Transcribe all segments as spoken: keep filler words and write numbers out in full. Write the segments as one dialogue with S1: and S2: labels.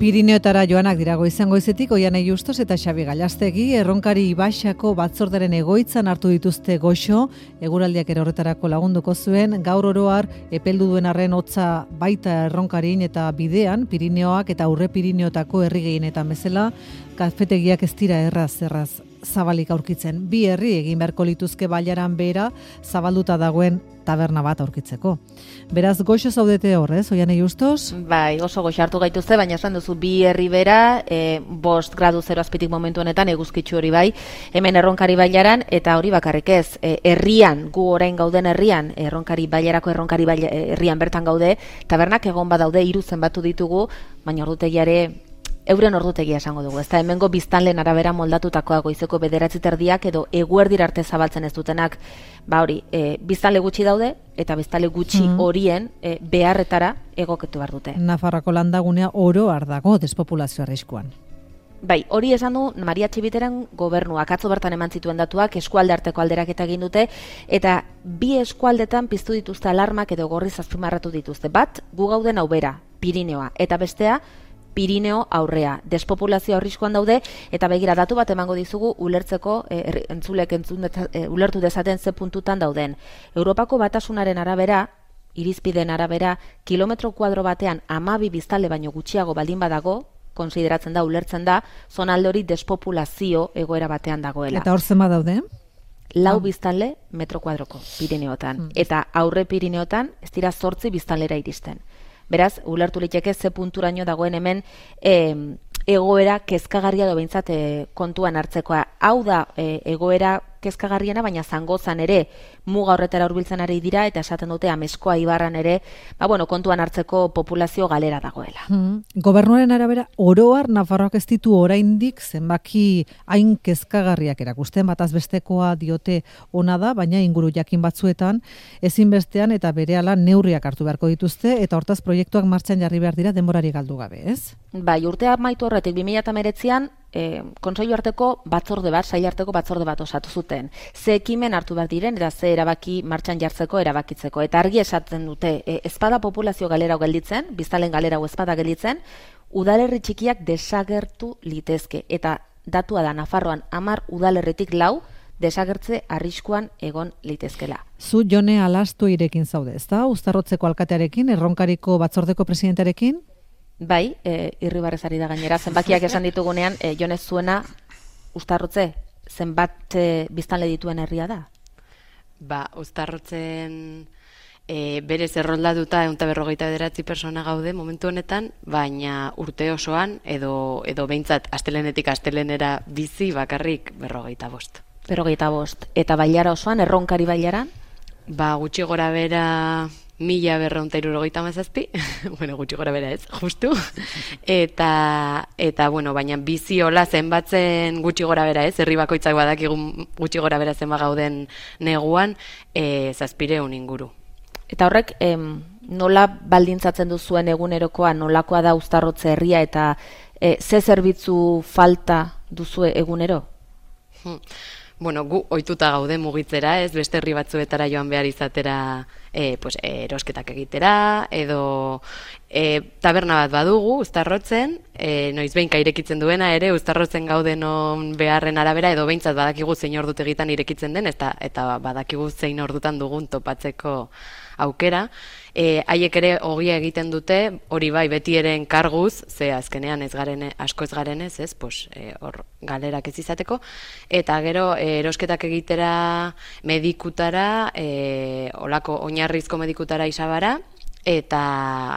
S1: Pirineotara joanak dira goizan goizetik Oianei Justos eta Xabi Gallastegi Erronkari Ibaxako batzorderen egoitzan hartu dituzte goxo, eguraldiak ere horretarako lagunduko zuen, gaur oroar epeldu duen arren hotza baita Erronkarin eta bidean, Pirineoak eta Aurre Pirineotako herri gehienetan bezala, kafetegiak ez dira erraz erraz zabalik aurkitzen. Bi herri egin beharko lituzke bailaran bera zabalduta dagoen taberna bat aurkitzeko. Beraz, goxo zaudete horrez, Oianei Justos?
S2: Bai, oso goxo hartu gaituzte, baina esan duzu bi herri bera, e, bost gradu zero azpitik momentu honetan, eguzkitzu hori bai, hemen Erronkari bailaran, eta hori bakarrik ez, e, herrian, gu orain gauden herrian, Erronkari bailarako Erronkari baila, herrian bertan gaude, tabernak egon badaude, hiru zenbatu ditugu, baina ordutegiare euren ordutegia esango dugu. Ez da hemengo biztanleen arabera moldatutakoa goizeko bederatzi terdiak edo eguerdir arte zabaltzen ez dutenak, ba hori, e, biztanle gutxi daude eta biztanle gutxi mm. horien e, beharretara egokitu behar dute.
S1: Nafarroako landagunea oro har dago despopulazio arriskuan.
S2: Bai, hori esan du Maria Txibiteren gobernuak, atzo bertan eman zituen datuak, eskualde arteko alderaketa egin dute, eta bi eskualdetan piztu dituzte alarmak edo gorriz azpimarratu dituzte. Bat, gu gauden hau bera, Pirineoa, eta bestea, Pirineo aurrea. Despopulazio arriskuan daude, eta begira datu bat emango dizugu ulertzeko, e, entzulek entzun, e, ulertu dezaten ze puntutan dauden. Europako batasunaren arabera, irizpideen arabera, kilometro kuadro batean hamabi biztanle baino gutxiago baldin badago, konsideratzen da, ulertzen da, zonalde hori despopulazio egoera batean dagoela.
S1: Eta hor zenbat daude?
S2: Lau biztanle metro kuadroko Pirineotan. Mm. Eta Aurre Pirineotan ez dira zortzi biztanlera iristen. Beraz, ulertu liteke ze punturaino dagoen hemen e, egoera kezkagarria do behintzat e, kontuan hartzekoa. Hau da e, egoera kezkagarriena, baina Zangozan ere muga horretara hurbiltzen ari dira, eta esaten dute Ameskoa ibarran ere, ba bueno, kontuan hartzeko populazio galera dagoela.
S1: Hmm. Gobernuaren arabera, oroar Nafarroak ez ditu oraindik zenbaki hain kezkagarriak erakusten, bataz bestekoa diote ona da, baina inguru jakin batzuetan ezinbestean eta berehala neurriak hartu beharko dituzte, eta hortaz proiektuak martxan jarri behar dira denborari galdu gabe, ez?
S2: Bai, urtea amaitu horretik bi mila hemeretzian E, kontseilu arteko batzorde bat, sail arteko batzorde bat osatu zuten. Ze ekimen hartu behar diren, eta ze erabaki martxan jartzeko, erabakitzeko. Eta argi esaten dute, e, ezpada populazio galera gelditzen, biztalen galera ezpada gelditzen, udalerri txikiak desagertu litezke. Eta datua da, Nafarroan hamar udalerritik lau, desagertze arriskuan egon litezkela.
S1: Zu Jone Alastu irekin zaude, ezta? Uztarrotzeko alkatearekin, Erronkariko batzordeko presidentearekin?
S2: Bai, e, irribarrezari da gainera, zenbakiak esan ditugunean, e, jonez zuena, Uztarrotze, zenbat e, biztanle dituen herria da?
S3: Ba, Uztarrotzen e, berez erroldatuta ehun eta berrogeita bederatzi persona gaude momentu honetan, baina urte osoan, edo, edo behintzat astelenetik astelenera bizi bakarrik berrogeita bost.
S2: Berrogeita bost. Eta bailara osoan, Erronkari bailaran?
S3: Ba, gutxi gora bera mila berreunta hirurogeita hamazazpi, bueno, gutxi gora bera ez, justu, eta, eta bueno, baina bizi hola zenbatzen gutxi gora bera ez, herri bakoitzak badakigun gutxi gora bera zenba gauden neguan, e, zazpireun inguru.
S2: Eta horrek, em, nola baldintzatzen duzuen egunerokoa, nolakoa da Uztarrotze herria, eta e, ze zerbitzu falta duzue egunero?
S3: Hmm. Bueno, gu ohituta gaude mugitzera, ez beste herri batzuetara joan behar izatera e, pues, erosketak egitera, edo e, taberna bat badugu, Uztarrotzen, e, noiz behinka irekitzen duena ere, Uztarrotzen gaudenon beharren arabera, edo behintzat badakigu zein ordutegitan irekitzen den, eta, eta badakigu zein ordutan dugun topatzeko aukera. E, haiek ere ogia egiten dute, hori bai beti ere enkarguz, ze azkenean ez garen, asko ez garenez, ez, pues, e, hor galerak ez izateko, eta gero e, erosketak egitera medikutara, e, olako oinarrizko medikutara isabara, eta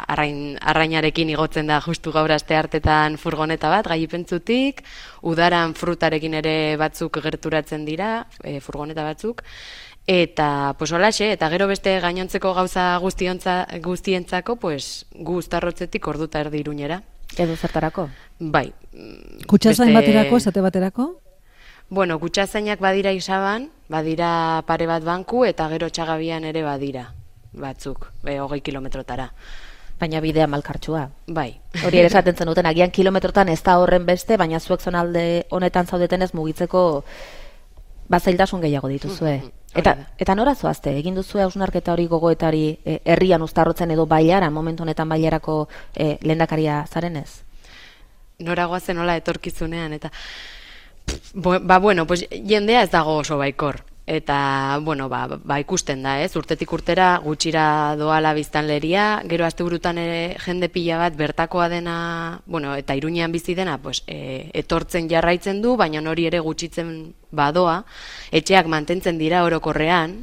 S3: arrain, arrainarekin igotzen da justu gaur aste hartetan furgoneta bat, gailipentzutik, udaran frutarekin ere batzuk gerturatzen dira, e, furgoneta batzuk, eta pues holaxe, eta gero beste gainontzeko gauza guztiontza, guztientzako, pues gu Uztarrotzetik orduta erdi Iruñera.
S2: Edo zertarako?
S3: Bai.
S1: Kutxazain beste... baterako, esate baterako?
S2: Bueno, kutsazainak badira Isaban, badira pare bat banku, eta gero Txagabian ere badira batzuk, be, hogei kilometrotara. Baina bidea malkartsua. Bai. Hori ere esaten zen duten, agian kilometrotan ez da horren beste, baina zuek zonalde honetan zaudeten ez mugitzeko bazailtasun gehiago dituzue. Eta, eta nora zoazte, egin duzue hausnarketa hori gogoetari e, herrian Uztarrotzen edo Bailaran, momentu honetan Bailarako e, lehendakaria zarenez?
S3: noragoa zenola etorkizunean, eta ba, bueno, pues, jendea ez dago oso baikor. Eta, bueno, ba, ba ikusten da, ez? Urtetik urtera gutxira doala biztanleria, gero asteburutan ere jende pila bat bertakoa dena, bueno, eta Iruñean bizi dena, pues, e, etortzen jarraitzen du, baina hori ere gutxitzen badoa, etxeak mantentzen dira orokorrean,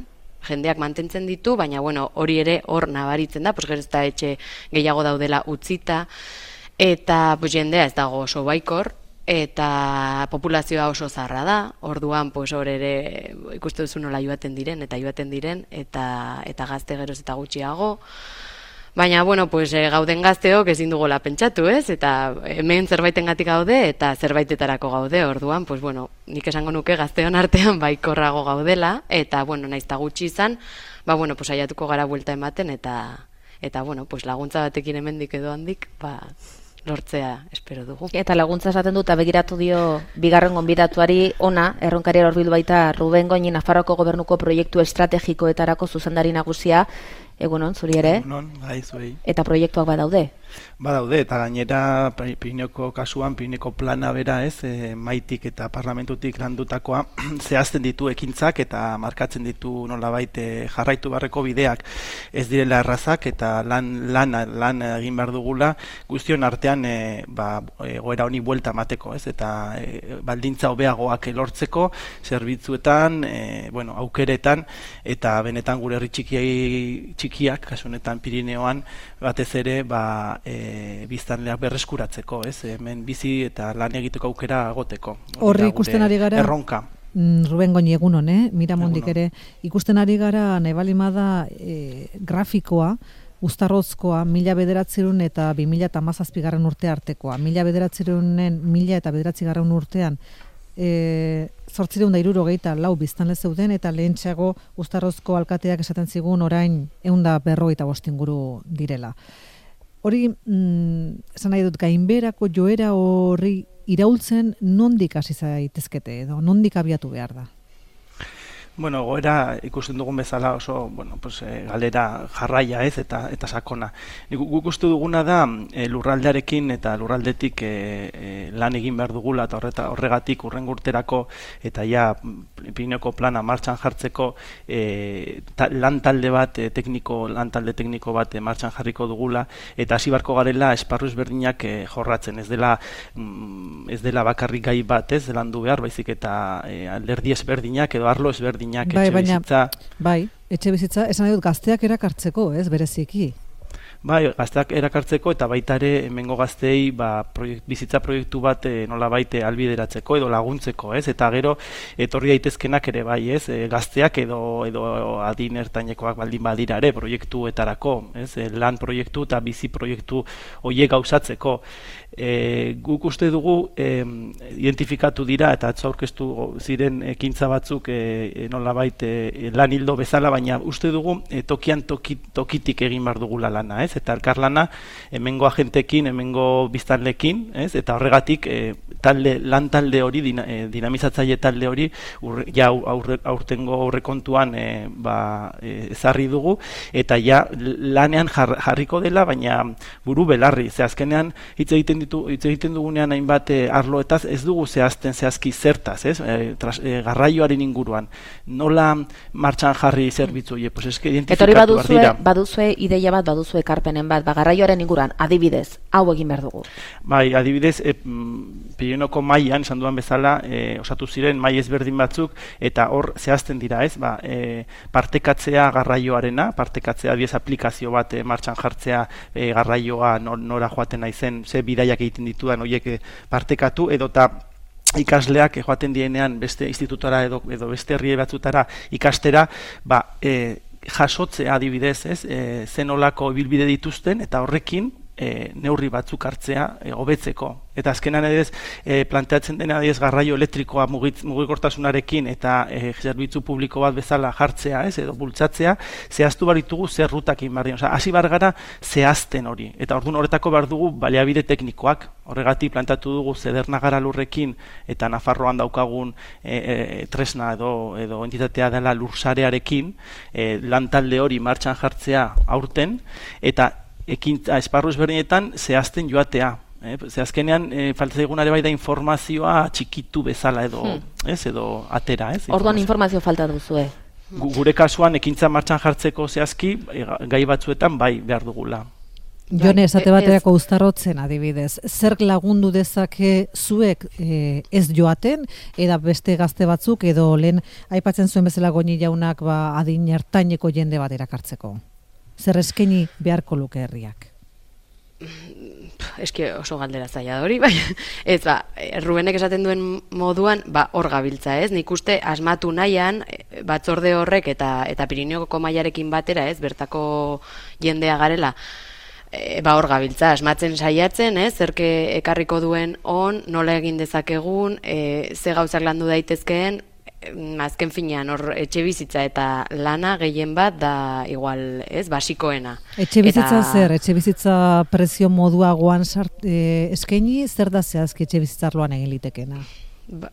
S3: jendeak mantentzen ditu, baina, bueno, hori ere hor nabaritzen da, pues, gero ez da etxe gehiago daudela utzita, eta, pues, jendea ez dago oso baikor, eta populazioa oso zarra da, orduan pues hor ere ikuste duzu nola joaten diren eta joaten diren eta eta gazte geroz eta gutxiago. Baina bueno, pues e, gauden gazteok ezin dugola pentsatu, ez? Eta hemen zerbaitengatik gaude eta zerbaitetarako gaude. Orduan, pues bueno, nik esango nuke gazteon artean baikorrago gaudela eta bueno, naiz ta gutxi izan, ba bueno, pues saiatuko gara buelta ematen eta eta bueno, pues laguntza batekin hemendik edo handik, ba lortzea espero dugu.
S2: Eta laguntza esaten dut, begiratu dio bigarren gonbidatuari ona, erronkari hurbildu baita Ruben Goñi Nafarroako Gobernuko proiektu estrategikoetarako zuzendari nagusia. Egunon, zuri ere?
S4: Egunon, bai, zuei.
S2: Eta proiektuak badaude?
S4: Badaude, eta gainera Pirineko kasuan, Pirineko plana bera, ez, e, maitik eta parlamentutik landutakoa zehazten ditu ekintzak eta markatzen ditu nolabait e, jarraitu barreko bideak ez direla errazak eta lan lan lan egin behar dugula guztion artean e, ba, egoera honi buelta emateko, ez, eta e, baldintza hobeagoak lortzeko zerbitzuetan, e, bueno, aukeretan eta benetan gure herri txikiai txikiak, kasu honetan Pirineoan batez ere, ba E, biztanleak berreskuratzeko, ez? Hemen bizi eta lan egiteko aukera agoteko.
S1: Horri ikusten ari gara
S4: erronka.
S1: Ruben Goñi egunon, eh? Miramondik ere ikusten ari gara nebalimada e, grafikoa Uztarrozkoa mila bederatzerun eta bi mila hamazazpigarren urte artekoa. Mila bederatzerunen mila eta bederatzigarren urtean e, zortzireun da hirurogeita lau biztanle zeuden eta lehentxeago Uztarrozko alkateak esaten zigun orain ehun da berrogeita bost inguru direla. Hori, mm, esan nahi dut, gainberako joera horri iraultzen nondik hasi zaitezkete edo, nondik abiatu behar da?
S4: Bueno, goera ikusten dugun bezala oso, bueno, pues, e, galera jarraia ez eta eta sakona. Guk uste duguna da e, lurraldearekin eta lurraldetik e, e, lan egin behar dugula eta horreta, horregatik urrengo urterako eta ja Pirineko plana martxan jartzeko e, ta, lan talde bat, e, tekniko, lan talde tekniko bat e, martxan jarriko dugula eta hasi barko garela esparru ezberdinak e, jorratzen. Ez dela, mm, ez dela bakarrik gai bat ez landu behar, baizik eta e, alderdi ezberdinak edo arlo ezberdinak.
S1: Bai, baina, bai, etxe bizitza, esan nahi dut gazteak erakartzeko, ez, bereziki?
S4: Bai, gazteak erakartzeko eta baita ere hemengo gazteei ba, proiekt, bizitza proiektu bat e, nola baite albideratzeko edo laguntzeko, ez? Eta gero etorri daitezkenak ere bai, ez? E, gazteak edo edo adin ertainekoak baldin badira ere proiektuetarako, ez? E, lan proiektu eta bizi proiektu horiek gauzatzeko. E, guk uste dugu e, identifikatu dira eta atzo aurkeztu ziren ekintza batzuk e, nolabait e, lan hildo bezala, baina uste dugu e, tokian toki, tokitik egin behar dugula lana, ez? Eta elkarlana hemengo agentekin, hemengo biztanlekin, ez? Eta horregatik e, talde, lan talde hori, dina, e, dinamizatzaile talde hori urre, ja aurre, aurtengo aurrekontuan e, ba, e, ezarri dugu eta ja lanean jar, jarriko dela, baina buru belarri, ze azkenean hitz egiten ditu, hitz egiten dugunean hainbat e, arloetaz ez dugu zehazten zehazki zertaz, ez? E, tras, e, garraioaren inguruan. Nola martxan jarri zerbitzu horiek? Pues eske identifikatu behar dira.
S2: Baduzue ideia bat, baduzue ekarpenen bat, ba, garraioaren inguruan, adibidez, hau egin behar dugu.
S4: Bai, adibidez, e, Pirinoko mailan, esan duan bezala, e, osatu ziren mai ezberdin batzuk, eta hor zehazten dira, ez? Ba, e, partekatzea garraioarena, partekatzea diez aplikazio bat e, martxan jartzea e, garraioa nora joaten naizen, ze bidaiak egiten ditudan horiek partekatu, edota ikasleak joaten dienean beste institutora edo, edo beste herri batzutara ikastera, ba, e, jasotzea adibidez, ez, e, zenolako ibilbide dituzten eta horrekin e, neurri batzuk hartzea e, hobetzeko. Eta azkenan edez e, planteatzen dena edez garraio elektrikoa mugitz, mugikortasunarekin eta e, zerbitzu publiko bat bezala jartzea, ez, edo bultzatzea, zehaztu baritugu zer rutakin barri. Osa, hasi bar gara zehazten hori. Eta orduan horretako behar dugu baliabide teknikoak. Horregatik plantatu dugu Zedernagara lurrekin eta Nafarroan daukagun e, e, tresna edo, edo entitatea dela lursarearekin e, lantalde hori martxan jartzea aurten eta ekintza esparru ezberdinetan zehazten joatea. Eh? Ze azkenean, e, falta zaiguna ere bai da informazioa txikitu bezala edo, hmm. ez, edo atera, ez?
S2: Orduan informazio falta duzue.
S4: Gure kasuan ekintza martxan jartzeko zehazki, gai batzuetan bai behar dugula.
S1: Jone, esate baterako uztarrotzen adibidez, zer lagundu dezake zuek e, ez joaten, eda beste gazte batzuk, edo lehen aipatzen zuen bezala Goñi jaunak ba, adin ertaineko jende bat erakartzeko? Zer eskaini beharko luke herriak?
S3: Eski oso galdera zaila hori, bai. Ez ba, Rubenek esaten duen moduan, ba, hor gabiltza, ez? Nik uste asmatu nahian, batzorde horrek eta eta Pirineoko mailarekin batera, ez? Bertako jendea garela, e, ba, hor gabiltza, asmatzen saiatzen, ez? Zerke ekarriko duen on, nola egin dezakegun, e, ze gauzak landu daitezkeen, azken finean hor etxe bizitza eta lana gehien bat da igual, ez, basikoena.
S1: Etxe bizitza eta... zer, etxe bizitza prezio moduagoan sart, e, eskaini, zer da zehazki etxe bizitzarloan egin litekena?
S3: Ba,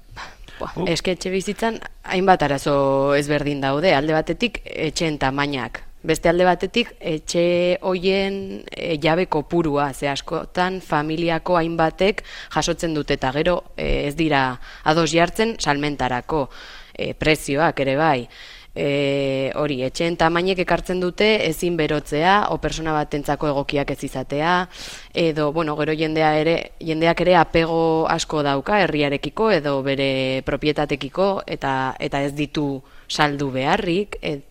S3: ba, eske etxe bizitzan hainbat arazo ezberdin daude, alde batetik etxeen tamainak. Beste alde batetik, etxe hoien e, jabe kopurua, ze askotan familiako hainbatek jasotzen dute eta gero e, ez dira ados jartzen salmentarako e, prezioak ere bai. E, hori, etxeen tamainek ekartzen dute ezin berotzea, o persona batentzako egokiak ez izatea, edo, bueno, gero jendea ere, jendeak ere apego asko dauka herriarekiko edo bere propietatekiko eta, eta ez ditu saldu beharrik, et,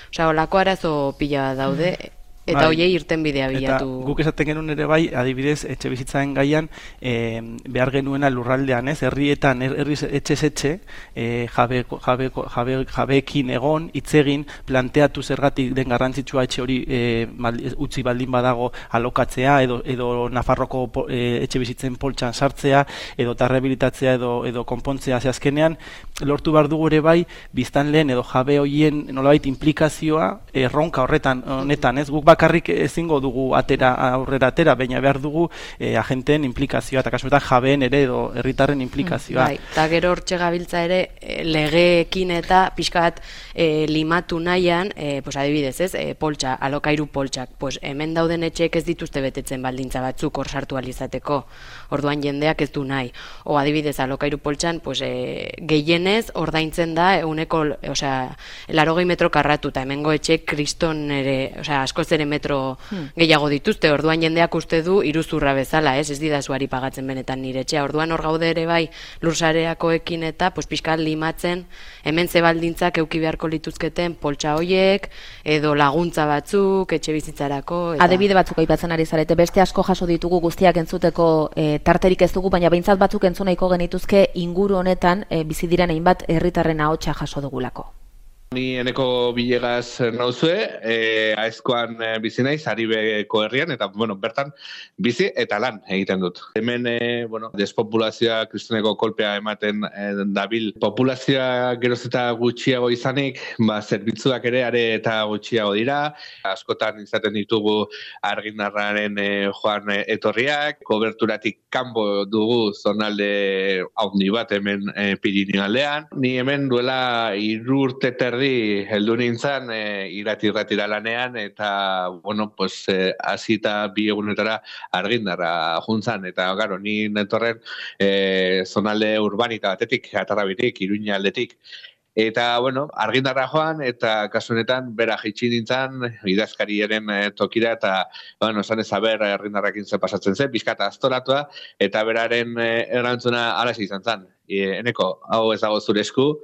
S3: Osa, olako arazo pila daude, eta bai, hoiei irten bidea bilatu.
S4: Eta guk esaten genuen ere bai, adibidez, etxe bizitzaren gaian, e, behar genuena lurraldean, ez? Herrietan, herri etxez etxe, e, jabe, jabe, jabe, jabeekin egon, hitzegin, planteatu zergatik den garrantzitsua etxe hori e, mal, utzi baldin badago alokatzea, edo, edo Nafarroko e, etxe bizitzen poltsan sartzea, edo tarrehabilitatzea, edo, edo konpontzea, ze azkenean, lortu behar dugu ere bai, biztanleen edo jabe hoien nolabait implikazioa erronka horretan, honetan, ez? Guk bakarrik ezingo dugu atera aurrera atera, baina behar dugu e, agenteen implikazioa, eta kasuetan jabeen ere edo herritarren implikazioa.
S3: Bai, eta gero hortxe gabiltza ere legeekin eta pixka bat e, limatu nahian, e, pues adibidez, ez, e, poltsa, alokairu poltsak, pues hemen dauden etxeek ez dituzte betetzen baldintza batzuk hor sartu alizateko, orduan jendeak ez du nahi. O adibidez, alokairu poltsan, pues e, gehienez ordaintzen da euneko, osea, larogei metro karratu, eta hemengo etxeek kriston ere, osea, askoz ere metro hmm. gehiago dituzte, orduan jendeak uste du iruzurra bezala, ez, ez didazuari pagatzen benetan nire etxea, orduan hor gaude ere bai lursareakoekin eta pues pixka limatzen hemen ze baldintzak euki beharko lituzketen poltsa hoiek edo laguntza batzuk etxe bizitzarako eta...
S2: Adibide batzuk aipatzen ari zarete, beste asko jaso ditugu guztiak entzuteko e, tarterik ez dugu, baina behintzat batzuk entzun nahiko genituzke inguru honetan e, bizi diren hainbat herritarren ahotsa jaso dugulako.
S5: Ni Eneko Bilegaz nauzue, e, aizkoan e, bizi naiz, Aribeko herrian, eta bueno, bertan bizi eta lan egiten dut. Hemen, e, bueno, despopulazioa kristoneko kolpea ematen e, dabil. Populazioa geroz eta gutxiago izanik, ba, zerbitzuak ere are eta gutxiago dira. Askotan izaten ditugu argindarraren e, joan e, etorriak, koberturatik kanbo dugu zonalde haundi bat hemen e, Pirineo aldean. Ni hemen duela hiru urte terdi heldu nintzen e, irati-irratira lanean eta, bueno, pues, hasita e, bi egunetara argindarra juntzan. Eta, garo, ni netorren e, zonalde urbanita batetik, Atarrabitik, Iruña aldetik. Eta, bueno, argindarra joan, eta kasu honetan bera jaitsi nintzen, idazkariaren e, tokira, eta, bueno, esan ez haber argindarrakin ze pasatzen zen, bizkata aztoratua, eta beraren e, erantzuna alazi izan zen. E, Eneko, hau ez dago zure esku,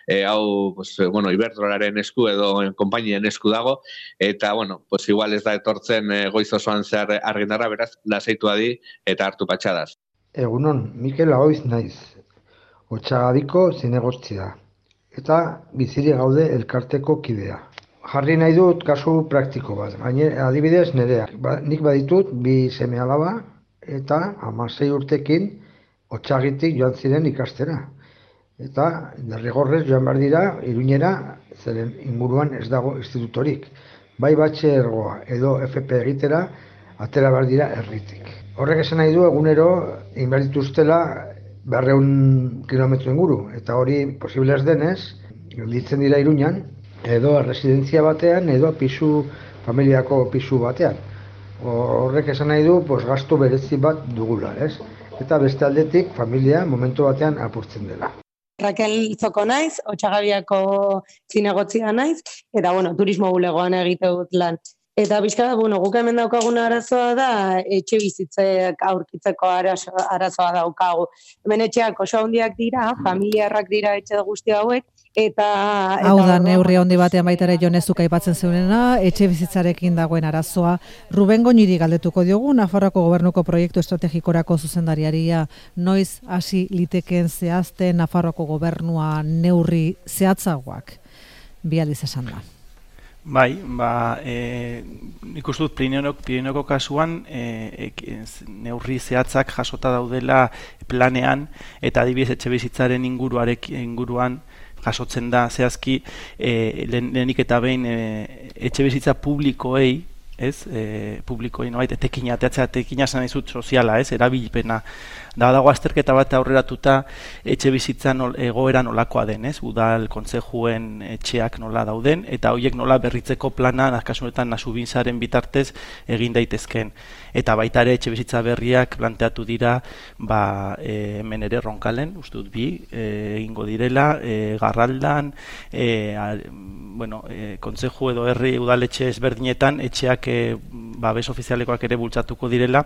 S5: E, hau, pues, bueno, Iberdrolaren esku edo konpainien esku dago, eta, bueno, pues, igual ez da etortzen e, goiz osoan zehar argindarra, beraz, lasaitu adi eta hartu patxadaz.
S6: Egunon, Mikel Agoiz naiz, Otsagadiko zinegostzia, eta biziri gaude elkarteko kidea. Jarri nahi dut kasu praktiko bat, baina adibidez nerea. Ba, nik baditut bi seme alaba eta hamasei urtekin Otsagitik joan ziren ikastera. Eta derrigorrez joan behar dira Iruñera, zeren inguruan ez dago institutorik. Bai batxergoa edo F P egitera, atera behar dira herritik. Horrek esan nahi du egunero inbehar dituztela berrehun kilometro inguru, eta hori posible ez denez, gelditzen dira Iruñan, edo residentzia batean, edo pisu, familiako pisu batean. Horrek esan nahi du, pues, gastu berezi bat dugula, ez? Eta beste aldetik, familia momentu batean apurtzen dela.
S7: Raquel Zoko naiz, Otxagabiako zinegotzia naiz, eta, bueno, turismo bulegoan egite dut lan. Eta bizka, bueno, guk hemen daukaguna arazoa da, etxe bizitzek aurkitzeko arazoa, arazoa daukagu. Hemen etxeak oso handiak dira, familiarrak dira etxe guzti hauek, eta...
S1: Hau da, neurri handi batean baita ere Jonezuk aipatzen zeunena, etxe bizitzarekin dagoen arazoa. Ruben Goñiri galdetuko diogu, Nafarroako Gobernuko proiektu estrategikorako zuzendariaria, noiz hasi litekeen zehazten Nafarroako Gobernua neurri zehatzagoak? Bi aldiz esan da.
S4: Bai, ba, e, nik uste dut Pirinoko kasuan e, e, neurri zehatzak jasota daudela planean, eta adibidez etxe bizitzaren inguruarek, inguruan jasotzen da zehazki e, lehenik eta behin e, etxe bizitza publikoei, ez, e, publikoei nobait, etekina, ateatzea etekina esan izut soziala, ez, erabilpena. Da dago azterketa bat aurreratuta etxe bizitza nol, egoera nolakoa den, ez? Udal kontsejuen etxeak nola dauden, eta horiek nola berritzeko plana, kasunetan Nasubintzaren bitartez egin daitezkeen. Eta baita ere etxe bizitza berriak planteatu dira, ba, e, hemen ere Ronkalen, uste dut bi, e, egingo direla, e, Garraldan, e, a, bueno, e, kontseju edo herri udaletxe ezberdinetan, etxeak e, babes ofizialekoak ere bultzatuko direla,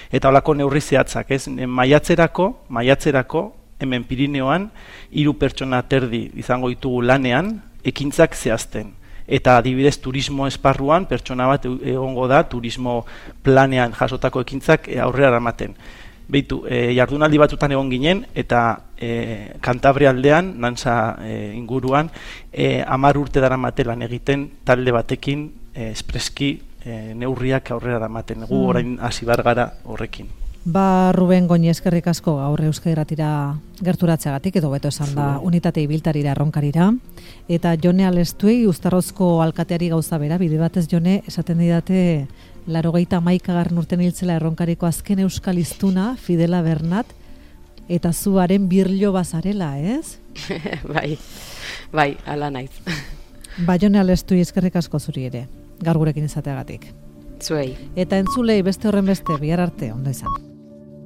S4: eta holako neurri zehatzak, ez? Maiatzerako, maiatzerako, hemen Pirineoan, hiru pertsona terdi izango ditugu lanean, ekintzak zehazten. Eta adibidez turismo esparruan, pertsona bat egongo da, turismo planean jasotako ekintzak aurrera eramaten. Beitu, e, jardunaldi batzutan egon ginen, eta e, Kantabria aldean, Nantza e, inguruan, e, hamar urte daramaten lan egiten talde batekin e, espreski e, neurriak aurrera eramaten. Gu orain hasi bar gara horrekin.
S1: Ba, Ruben Goñi, eskerrik asko gaur Euskadi Irratira gerturatzeagatik, edo beto esan da unitate ibiltarira erronkarira. Eta Jone Alestuei, Uztarrozko alkateari gauza bera, bide batez Jone, esaten didate laurogeita hamaikagarren urten hiltzela erronkariko azken euskal hiztuna, Fidela Bernat, eta zuaren birlo bazarela, ez?
S3: Bai, bai, ala naiz.
S1: Ba, Jone Alestuei, eskerrik asko zuri ere, gaur gurekin izateagatik.
S3: Zuei.
S1: Eta entzulei beste horren beste, bihar arte, ondo izan.